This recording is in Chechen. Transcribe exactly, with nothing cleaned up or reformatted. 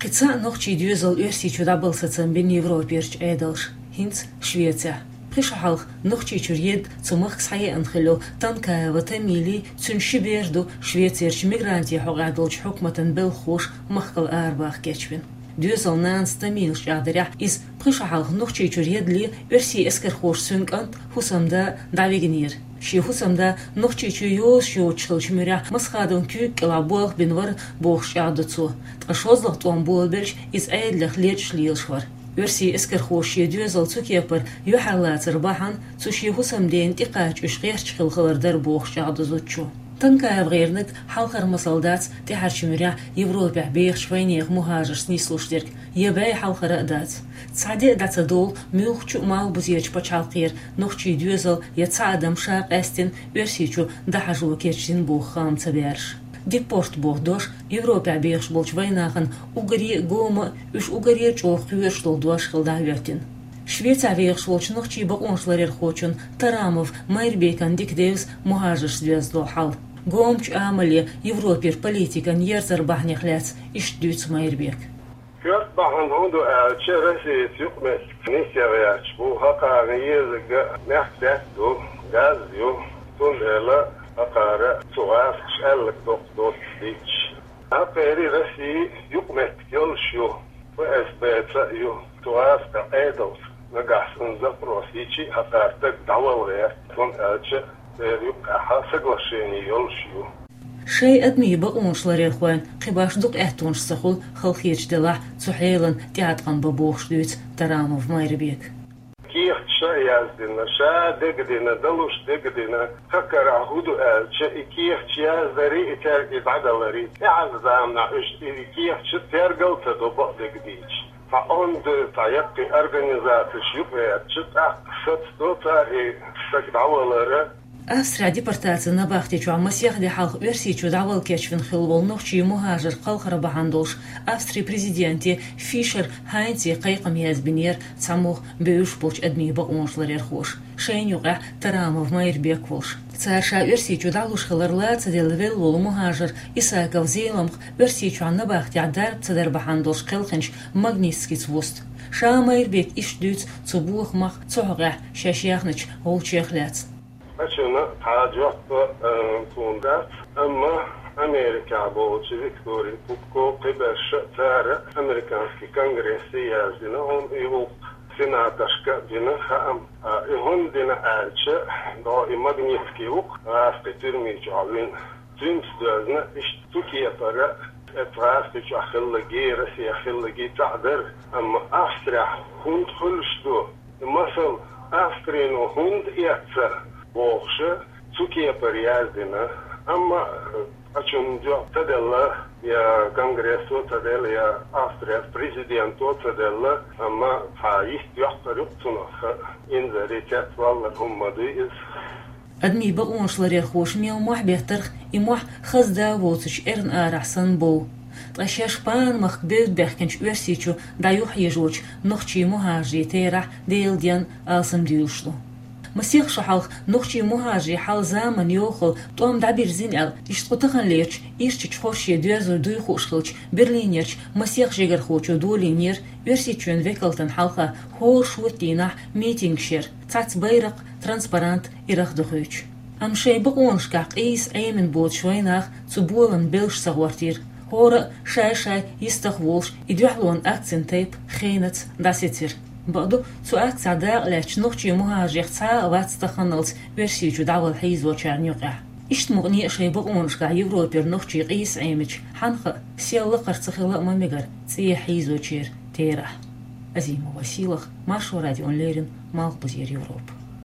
Кхин цхьа нохчийн доьзал Оьрсийчу дӀабала сацам бина Европерчу Ӏедалша, хӀинца Швецехь. Пхи шо хьалха Нохчийчуьра едда цу махка схьаеана хилла йолу Танкаева Тамилий, цуьнан ши бер ду Швецерчу мигрантийн хьокъехь долчу хьукматан белхахоша махкал арабаха кечвина. Доьзалан нанас Тамилас чӀагӀдарехь, иза пхи шо хьалха Нохчийчуьра едда Оьрсийн эскархоша цуьнан кӀант, хӀусамда дӀавигнера. Шен хӀусамда Нохчийчу йозуш йоцуш хиллачу муьрехь Масхадовн куьйга кӀелахь болх бина вара бохуш чӀагӀдо цо. Ткъа шозлагӀа тӀом болабелча, иза Ӏедалех лечкъаш лелаш вара. Оьрсийн эскархоша шен доьзал цу кепара юьхьарлацар бахьана цу шен хӀусамдена тӀекхача уьш гӀерташ хилла хилар дара бохуш чӀагӀдо зудчо. Танкаева гӀернарг хьалхара масал дац тӀаьхьарчу муьрехь Европехь бехачу вайнехан мухӀажаршца нислуш дерг, я бӀе хьалхара а дац. Цхьа де а дӀа ца довла, муьлххачу а малхбузерчу пачхьалкхера нохчийн доьзал я цхьа адам ша къаьстина Оьрсийчу дӀахьажо кечдина боху хаам ца баьраш. Депорт боху дош Европехь бехаш болчу вайнахана уггаре а гома а, уьш уггаре а чӀогӀа кхоьруш долу дош хилла дӀахӀоьттина. Швецехь вехаш волчу нохчийн бакъонашларъярхочун Тарамов Майрбекан дика девза мухӀажаршца доьзна долу хьал. Гомачу амале Европера политикан ерзар бахьанех лаьцна иштта дуьйцу Майрбека. Коьрта бахьана хӀун ду аьлча, Россица юкъаметтигца нисъян гӀерташ бу, хӀокхарна езарг мехкдаьтта ду, газ ю, цундела хӀокхара цу гӀазкхаша аьлларг доккха доцуш дийцча. ХӀокхерий Россия юкъаметтиг йолуш ю, ФСБ-ца а ю, цу гӀазкхийн Ӏедалца нагахь санна запрос йича а хӀокхара стаг дӀавала гӀерта, хӀунда аьлча церан юккъехь соглашение йолуш ю. Шайн адамийн бакъонашларъярхойн кхин башха дукха аьттонаш ца хуьлу, халахеташ делахь, цу хьелан тӀеӀаткъам бан бохуш дуьйцу Тарамов Майрбека. Кехаташ а яздина, ша дагадина, далуш дагадина, хӀокхарахь хӀун ду аьлча, и кехаташ яздарий, и цаьрга и дӀадаларий, тӀаьхьарчу заманахь уьш и кехаташ тергал а ца до, бакъдерг дийцича. Цхьа онда, цхьа яккхий организацеш юкъагӀертача, тӀаккха сацадо цара и стаг дӀавалар. Австрехь депортацин набахти чохь масех де хьалха Оьрсийчу дӀавала кечвина хилла волу нохчийн мухӀажар кхалхар бахьана долуш Австрин президенте Фишер Хайнце кхайкхам язбинера цхьамогӀа бевзаш болчу адамийн бакъонашларъярхоша, шайна юкъахь Тарамов Майрбек волуш. Цара ша Оьрсийчу дӀалуш хилар ла ца делла велла волу мухӀажар Исаков Зеламха Оьрсийчохь набахтехь дарба ца дар бахьана долуш кхелхинчу Магнитскица вуста. Ша Майрбека иштта дуьйцу цу бохамах, цу хьокъехь шаьш яьхначу гӀулчех лаьцна. Ачунна цхьа жоп, э, тхуна дац, амма Америкехь болчу Виктория Пупко, кхиберш а, цара американский конгрессе яздина хьуна и гӀуллакх, сенаторшка а бина хаам. А, и хӀунда дина аьлча, дӀо и Магнитский ву-кх гӀазкхийн туьрми чохь вина. Цуьнца доьзна, иштта цу кепара, оцу гӀазкхи чохь хиллаги, Россехь хиллаги цхьаъ дара, амма Австрехь хӀунда хуьлуш ду? Масала, Австрино хӀунда эцна бохуш, цу кепара яздина, амма, э, ачунна жоп ца делла, я конгрессо ца делла, я Австрин президенто ца делла, амма цхьа йист йоккхур ю-кх цунах, инзаре цецваллар хӀума ма дуй иза. Адамийн бакъонашларъярхоша мел мохь беттарх, и мохь хаза да воцучу эрна арахь санна бов. Ткъа шаьш Панамахка бевдда баьхкинчу Оьрсийчу дӀаюхьъяжочу нохчийн мухӀажарийн терахь Делан денна алсамдуьйлуш ду. Масех шо хьалха нохчийн мухӀажарийн хьал заманан йохалла тӀом дӀабирзина аьлла, иштта кху таханлерчу ирчачу хорше доьзалш дуй хууш хиллачу Берлинерчу масех жигархочо долийнера Оьрсийчоьнан векалтана хьалха хӀора шорта дийнахь митингаш яр, цхьацца байракх, транспарант ирах дохуьйтуш. Амма шайн бакъонашкахь къийса Ӏемина боцуш вайнах цу болан белш ца гӀортийра. ХӀора а шай-шай йистах волуш, и дуьхьалонан акцин тайпа хенаца дӀасецира. Бакъду, цу акцехь дакъа лаьцначу нохчийн мухӀажарех цхьа а вац таханалц Оьрсийчу дӀавала хьийзочарна юкъехь. Иштта мукъане а шайн бакъонашкахь Европера нохчий къийса Ӏемича, хьанна хаьа, сел лакхара ца хила а ма мегара цӀехьа хьийзочеран терахь. Азимова Сийлаха, Маршо радиона леррина, Малхбузера Европа.